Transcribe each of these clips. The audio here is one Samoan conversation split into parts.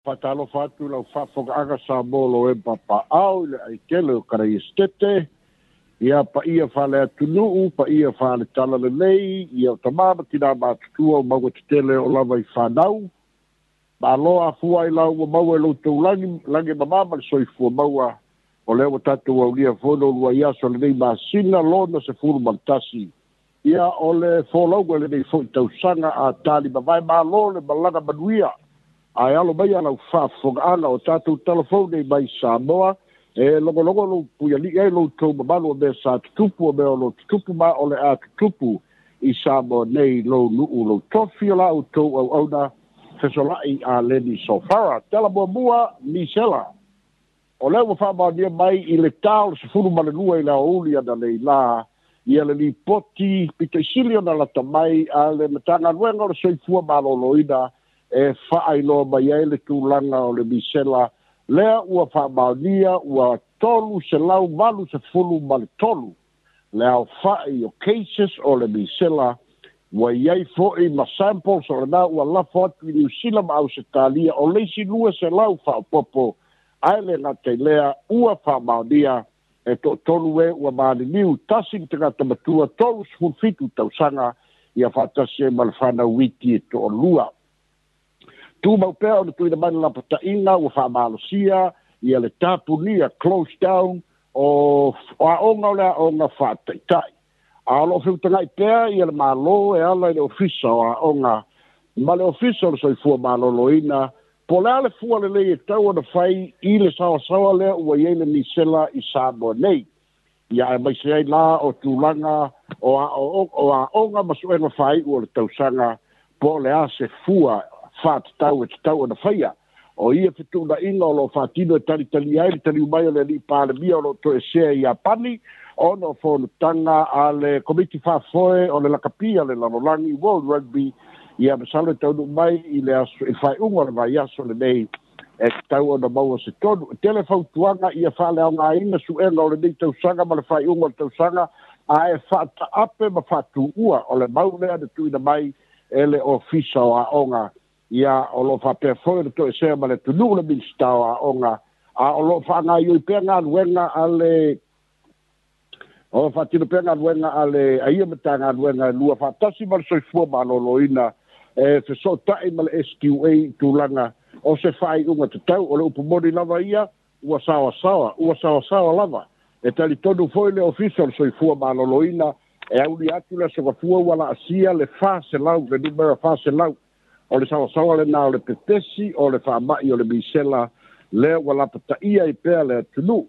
Faatalofa atu lau faafofogaaga Samoa lo e papaao i le aitele o Karaistete, ia paia faaleatunuu, paia faale-talalelei, ia o tamā ma tinā matutua o maua tetele o lava i fanau. Malo afua ai lau ua maua e loutou lagi, lagi mamā ma le soifua maua, o lea ua tatou aulia foi lo lua i aso lenei masina lona 11. Ia o le folauga lenei foi tausaga a tali mavae malo le malaga manuia. Ae alo mai lau faafofogaaga o tatou talafou nei mai Samoa, e logologo lou puialii ai loutou mamalu o mea sa tutupu, o mea o lo tutupu ma o le a tutupu i Samoa nei lou nuu lou tofi o la outou auauna fesolai a Leni Sofara. Tala muamua Misela. O lea ua faamaonia mai i le ta o le 12 i le aoauli analeila ia le lipoti pitoisili ona lata mai a le Matagaluega o le Soifua Maloloina e faailoa mai ai le tulaga o le misela lea ua faamaonia ua 383 le aofai o cases o le misela ua iai foi ma samples o lena ua lafo atu i Niu Sila ma Ausetalia o le isi 200 faaopoopo ae le gata i lea ua faamaonia e toatolu e ua maliliu tasi le tagata matua 37 tausaga ia faatasi ai ma le fanau iti e toalua. Tumau pea ona tuuina mai le lapataiga ua faamalosia ia le tapunia close down o aoga o le aoga faataitai. A o loo feutagai pea ia le Malo e ala i le Ofisa o Aoga ma le Ofisa o le Soifua Maloloina po o le a le fua lelei e tau ona fai i le saoasaoa lea ua i ai le misela i Samoa nei. Ia aemaise ai la o tulaga o aoga ma suega faaiu o le tausaga po o le a se fua faatatau e tatau ona faia. O ia fetuunaiga o loo faatino e talitalia ai le taliu mai o le alii Palemia o loo toesea i Iapani ona o fonotaga a le Komiti Faafoe o le Lakapi a le Lalolagi World Rugby ia masalo e taunuu mai i le aso i le faaiuga o le vaiaso lenei e tatau ona maua se tonu. E tele fautuaga ia faaleaogaina suega o lenei tausaga ma le faaiuga o le tausaga ae faataape ma faatuua o le mau lea na tuuina mai e le Ofisa o Aoga. Ia o loo faapea foi le toesea ma le atunuu le Minisita o Aoga a o loo faagaioi pea galuega a le o faatino pea galuega a le aia Matagaluega e lua faatasi ma le Soifua Maloloina e fesootai ma le SQA i tulaga o se faaiuga tatau. O le upu moni lava ia ua saoasaoa, ua saoasaoa lava. E talitonu foi le Ofisa o le Soifua Maloloina e aulia atu le aso gafua ua laasia le 400, le numera 400. O le saoasaoa lena o le pepesi o le faamai o le misela lea ua lapataia ai pea le atunuu.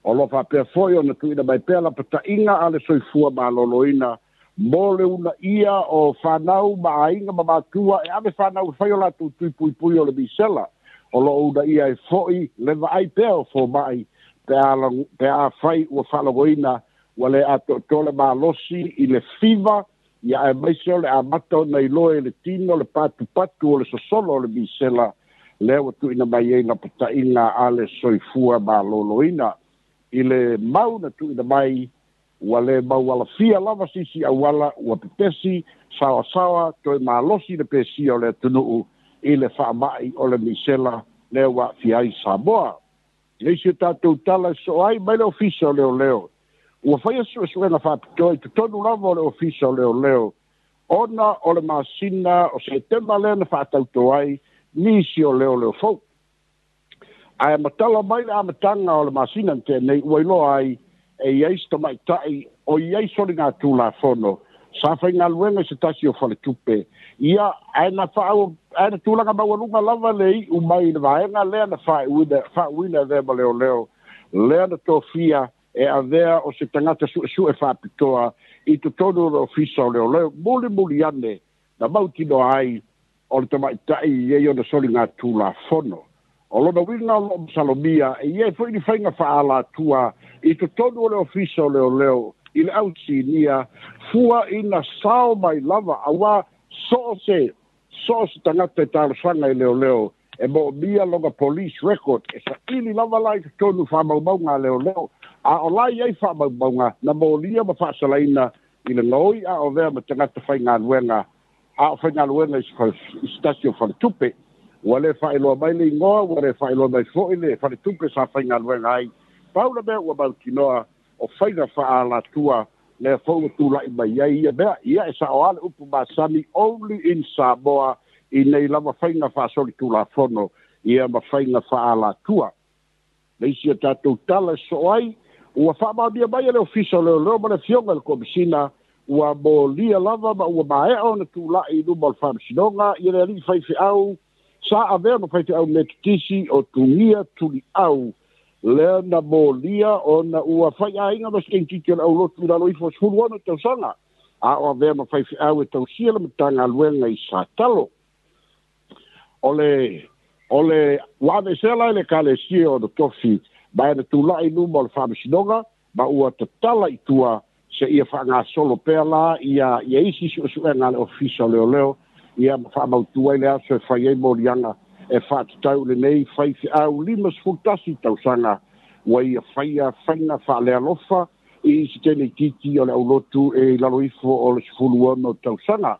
O loo faapea foi ona tuuina mai pea lapataiga a le Soifua Maloloina mo le uunaia o fanau ma aiga ma matua e ave fanau e fai o latou tui puipui o le misela. O loo uunaia ai foi le vaai pea o fomai pe a fai ua faalogoina ua le atoatoa le malosi i le fiva ia aemaise o le amata ona iloa i le tino le patupatu o le sosolo o le misela lea ua tuuina mai ai lapataiga a le Soifua Maloloina. I le mau na tuuina mai ua le maualafia lava sisi auala ua pepesi saoasaoa toe malosi le pesia o le atunuu i le faamai o le misela lea ua aafia ai Samoa. Le isi o tatou tala e soo ai mai le Ofisa o Leoleo. Ua faia suesuega faapitoa i totonu lava o le Ofisa o Leoleo ona o le masina o Setema lea na faatauto ai nisi o leoleo fou. Ae matala mai le amataga o le masina na tea nei ua iloa ai e iai se tamaitai o iai soligatulafono sa faigaluega i se tasi o faletupe. Ia ae na ae na tulaga maualuga lava le iu mai i le vaega lea na faauuina e avea ma leoleo lea na tofia e avea o se tagata suesue faapitoa i totonu o le Ofisa o Leoleo. Mulimuli ane na mautinoa ai o le tamaitai i ai ona soligatulafono. O lona uiga o loo masalomia e iai foi ni faiga faaalatua i totonu o le Ofisa o Leoleo i le ausinia fua ina sao mai lava auā so o se tagata e talosaga i leoleo e moomia lona police record e saili lava la i totonu faamaumauga a leoleo a o la iai faamaumauga na molia ma faasalaina i le gaoi a o avea ma tagata faigaluega a o faigaluega i se tasi o faletupe. Ua le faailoa mai le igoa, ua le faailoa mai fo'i le faletupe sa faigaluega ai. Pau le mea ua mautinoa o faiga faaalatua lea foi ua tula'i mai ai ia mea. Ia e sa'o a le upu masani, only in Samoa i nei lava faiga faasolitulafono ia ma faiga faaalatua. Le isi a tatou tala e soo ai, ua faamaonia mai e le Ofisa o Leoleo ma le Afioga i le Komisina ua molia lava ma ua maea ona tula'i i luma o le Faamasinoga ia le alii faifeau sa avea ma faifeau Metotisi o Tugia Tuliau lea na molia ona ua faiaiga ma se teineitiiti o le aulotu i lalo ifo o 16 tausaga a o avea ma faifeau e tausia le Matagaluega i Satalo. O le o le ua aveesea la e le Ekalesia ona tofi ma e na tula'i i luma o le Faamasinoga ma ua tatala i tua seia faagasolo pea la ia ia isi su'esu'ega a le Ofisa o Leoleo ia ma faamautu ai le aso e fai ai moliaga e faatatau i lenei faifeau 51 tausaga ua ia faia faiga faalealofa i se teineitiiti o le aulotu e i lalo ifo o le 16 tausaga.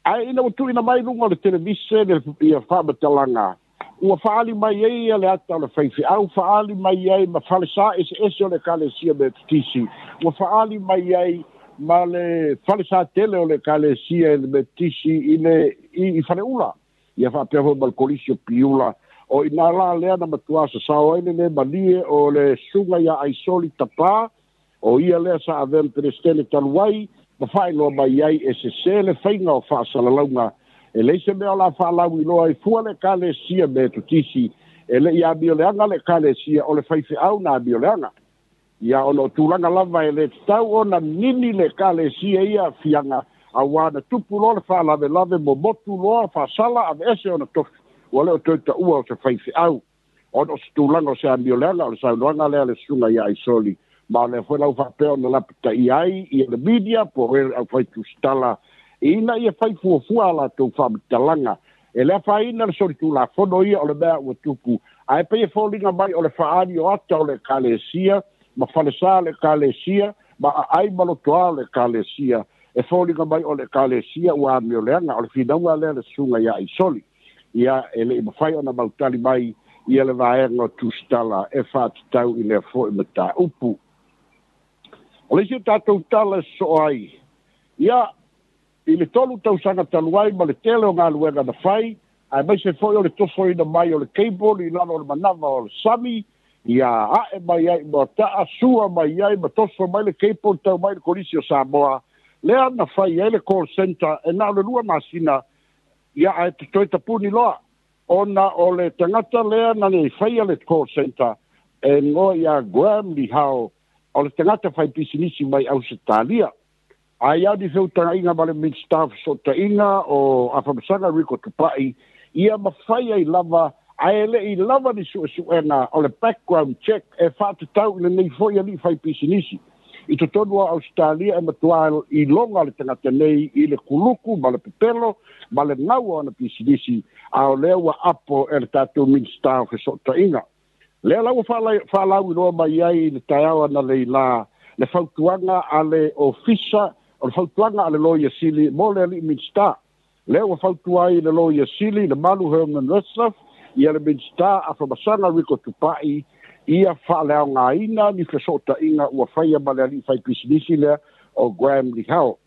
Ae ina ua tuuina mai i luga o le televise le ia faamatalaga, ua faaali mai ai ia le ata o le faifeau, faaali mai ai ma falesa eseese o le Ekalesia Metotisi, ua faaali mai ai ma le falesa tele o le Ekalesia Metotisi i le i Faleula, ia faapea foi ma le Kolisi o Piula. O i inā la lea na matuā sasao ai le lē malie o le susuga iā Aisoli Tapā, o ia lea sa avea ma Peresetene talu ai, ma faailoa mai ai e sesē le faiga o faasalalauga. E leai se mea o le a faalauiloa ai fua le Ekalesia Metotisi, e le i amioleaga le Ekalesia, o le faifeau na amioleaga. Ia ona o tulaga lava e le tatau ona nini le Ekalesia i aafiaga, auā na tupu loa le faalavelave momotu loa faasala aveese ona tofi, ua le o toe taua o se faifeau. Ona o se tulaga o se amioleaga, o le saunoaga lea a le susuga ia Aisoli, ma o lea foi la ua faapea ona lapataia ai ia le media po o le aufai tusitala ina ia fai fuafua a latou faamatalaga. E le afaina le solitulafono ia o le mea ua tupu, ae pei e foliga mai o le faaali o ata o le Ekalesia ma falesa o le Ekalesia ma aai ma lotoa o le Ekalesia, e foliga mai o le Ekalesia ua amioleaga. O le finauga lea a le susuga ia Aisoli. Ia, e le i mafai ona mautali mai ia le vaega o tusitala e faatatau i lea foi mataupu. O le isi o tatou tala e sosoo ai, ia, i le 3 tausaga talu ai ma le tele o galuega na fai, aemaise foi o le tosoina mai o le cable i lalo o le manava o le sami, ia a'e mai ai i Moataa, sua mai ai ma toso mai le cable tau mai i le Kolisi o Samoa, lea na fai ai le call centre e na o le 2 masina, ia ae toe tapuni loa, ona o le tagata lea na nei faia le call centre e igoa ia Graham Lihau, o le tagata fai pisinisi mai Ausetalia. Ae ia ni feutagaiga ma le Minisita o Fesootaiga o Afamasaga Rico Tupai, ia mafai ai lava, ae le i lava ni suesuega o le background check e faatatau i lenei foi alii fai pisinisi. I totonu o Ausetalia e matuā iloga le tagata nei i le kuluku ma le pepelo ma le gau o ana pisinisi, a o lea ua apo e le tatou Minisita o Fesootaiga. Lea la ua faalauiloa mai ai i le taeao analeila le fautuaga a le Ofisa, o le fautuaga a le Loia Sili mo le alii Minisita. Lea ua fautua ai le Loia Sili, le Malu Herman Retzlaff, ia le Minisita Afamasaga Rico Tupai, ia faaleaogaina ni fesootaiga ua faia ma le alii faipisinisi lea o Graham Lihau,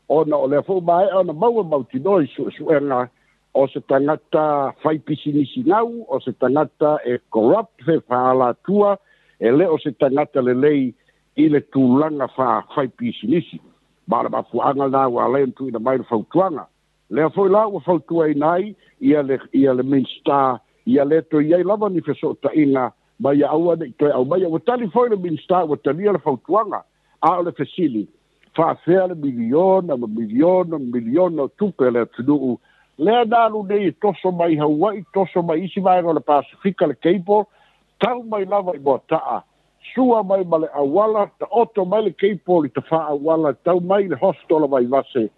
ona o lea foi ua maea ona maua mautinoa i suesuega o se tagata faipisinisi gau, o se tagata e corrupt, fe faaalatua, e le o se tagata lelei i le tulaga faafaipisinisi. Ma o le mafuaaga lena ua ala ai ona tuuina mai le fautuaga. Lea foi la ua fautuaina ai ia le ia le Minisita ia le toe i ai lava ni fesootaiga ma ia aua ne i toe aumaia. Ua tali foi le Minisita ua talia le fautuaga, a o le fesili, faafefea le miliona ma miliona ma miliona o tupe a le atunuu lea na alu nei e toso mai Hawaii, toso mai isi vaega o le Pasefika le cable, tau mai lava i Moataa, sua mai ma le auala, taoto mai le cable i Tafaauala, tau mai i le hospital o Vaivase,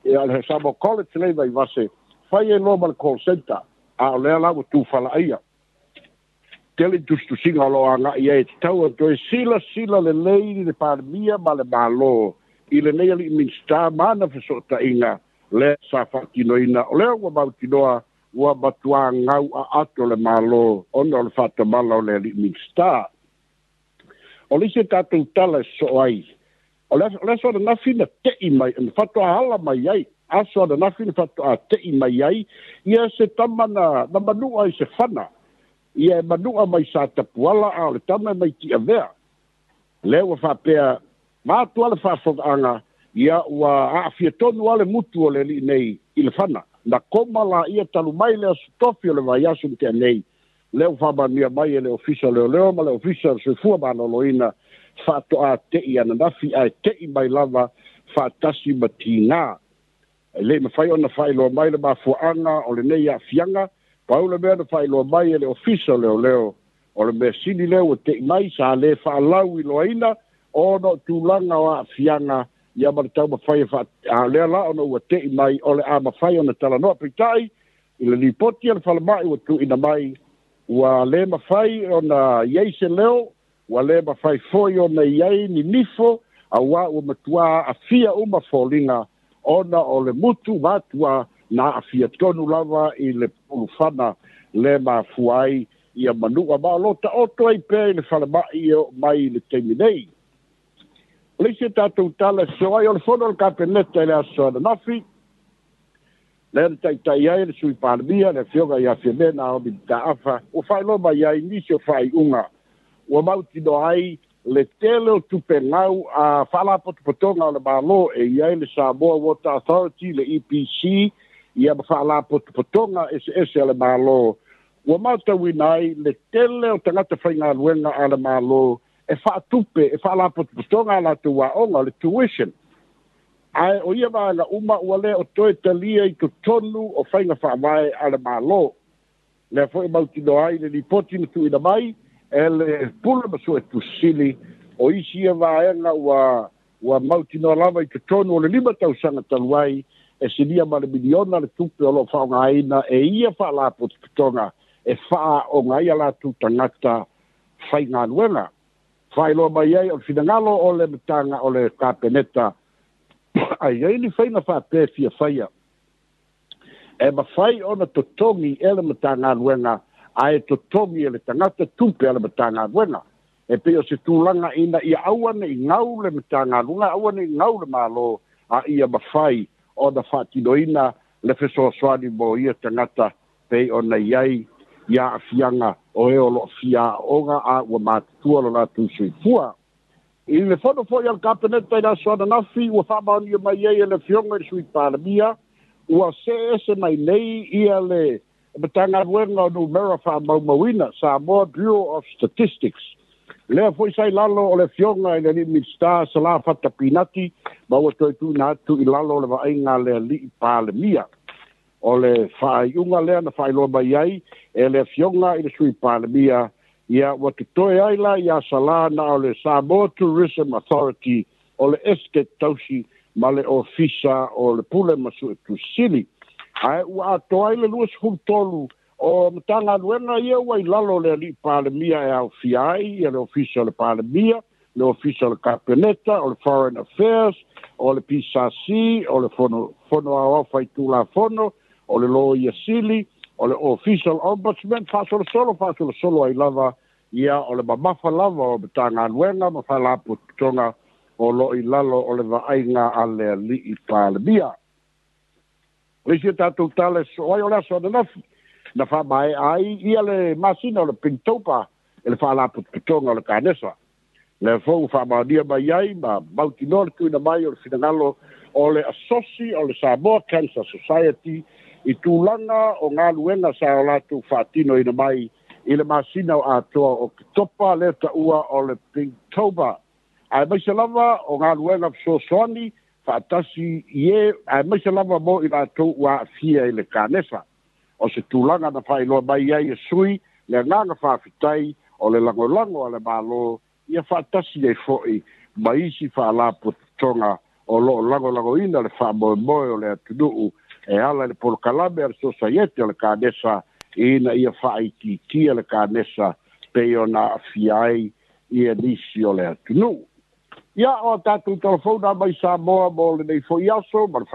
ia le Samoa College lea i Vaivase, fai ai loa ma le call centre, a o lea la ua tufalaia. Tele tusitusiga o lo o agai ai e tatau ona toe silasila lelei le Palemia ma le Malo i lenei alii Minisita ma ana fesootaiga lea sa faatinoina. O lea ua mautinoa Ua matuā gau aato le Mālō ona o le faatamala o le alii Minisita. O le isi tatou tala e sosoo ai, o le aso ananafi na te'i mai na faatoa ala mai ai, aso ananafi na faatoa te'i mai ai ia se tama na manu'a i se fana ia e manu'a mai sa tapuala, a o le tama e mai ti'avea lea ua faapea ma atu a le faafogaaga ia ua aafia tonu a le mutu o le alii nei i le fana na koma laia talu mai le aso tofi o le vaiaso ma tea nei. Lea ua faamanuia mai e le Ofisa o Leoleo ma le Ofisa o le Soifua Maloloina, faatoa te'i ananafi, ae te'i mai lava faatasi ma tigā. E lei mafai ona faailoa mai le mafuaaga o lenei aafiaga. Pau le mea na faailoa mai e le Ofisa o Leoleo, o le mea sili lea ua te'i mai sa lē faalau iloaina ona o tulaga o aafiaga ia ma le taumafai e a lea la ona ua te'i mai o le a mafai ona talanoa. Peitai i le lipoti a le falema'i ua tuuina mai, ua lē mafai ona iai se leo, ua lē mafai foi ona iai ni nifo, auā ua matuā aafia uma foliga ona o le mutu vatua na aafia tonu lava i le pulufana le mafua ai ia manu'a, ma o lo ta'oto ai pea i le falema'i e oo mai i le taimi nei. O le isi tatou tala e sosoo ai, o le fono o le Kapeneta i le aso ananafi lea na taita'i ai le Sui Palemia, le Afioga ia Fiame Naomi Mataafa, ua faailoa mai ai nisi o faaiuga ua mautinoa ai le tele o tupe gau a faalapotopotoga o le Mālō e i ai le Samoa Water Authority, le EPC, ia ma faalapotopotoga eseese a le Mālō. Ua matauina ai le tele o tagata faigaluega a le Mālō e faatupe e faalapotopotoga a latou aoga, le tuition, ae o ia vaega uma ua lē o toe talia i totonu o faiga faavae a le Mālō. Lea foi mautinoa ai le lipoti na tuuina mai e le Pule ma Suetusili, o isi ia vaega ua mautinoa lava i totonu o le 5 tausaga talu ai e silia ma le miliona le tupe o loo faaaogaina e ia faalapotopotoga e faaaoga ai a latou tagata faigaluega. Faailoa mai ai o le finagalo o le mataga o le Kapeneta, ai ai ni faiga faapea fia faia e mafai ona totogi e le Matagaluega, ae totogi e le tagata tupe a le Matagaluega, e pei o se tulaga ina ia aua nei gau le Matagaluega, aua nei gau le Mālō, a ia mafai ona faatinoina le fesoasoani mo ia tagata pei ona i ai ia aafiaga o e o loo fia aoga a ua matutua lo latou soifua. I le fono foi al Kapeneta i le aso ananafi ua faamaonia mai ai e le Afioga i le Sui Palemia ua see ese mai nei ia le Matagaluega o Numera Faamaumauina, Samoa Bureau of Statistics, lea foi sa i lalo o le Afioga i le alii Minisita Salā Fata Pinati, ma ua toe tuuina atu i lalo o le vaaiga a le alii Palemia. O le faaiuga lea na faailoa mai ai e le Afioga i le Sui Palemia, ia ua totoe ai la iā Salā na o le Samoa Tourism Authority, o le Estate Tausi ma le Ofisa o le Pule ma Suetusili, ae ua atoa ai le 23 o Matagaluega ia ua i lalo o le alii Palemia, e aofia ai ia le Ofisa o le Palemia, le Ofisa o le Kapeneta, o le Foreign Affairs, o le PSC, o le Fono Aoao Faitulafono, o le Loia Sili, o le Ofisa o le Ombudsman, faasolosolo faasolosolo ai lava ia o le mamafa lava o Matagaluega ma Faalapotopotoga o loo i lalo o le vaaiga a le alii Palemia. O le isi tatou tala e sosoo ai, o le aso ananafi na faamaea ai ia le masina o le Pinktober e le Faalapotopotoga o le Kanesa. Lea foi ua faamaonia mai ai ma mautinoa le tuuina mai o le finagalo o le asosi o le Samoa Cancer Society i tulaga o galuega sa o latou faatinoina mai i le masina o atoa o Ketopa lea taua o le Pinktober, aemaise lava o galuega fesoasoani faatasi i e aemaise lava mo i latou ua aafia i le kanesa. O se tulaga na faailoa mai ai e sui le agaga faafetai o le lagolago a le Mālō ia faatasi ai foi ma isi faalapotopotoga o loo lagolagoina le faamoemoe o le atunuu e ala i le polokalame a le Sosaiete o le Kanesa ina ia faaitiitia le kanesa pei ona aafia ai ia nisi o le atunuu. Ia o tatou telefona mai Samoa mo lenei foi aso ma le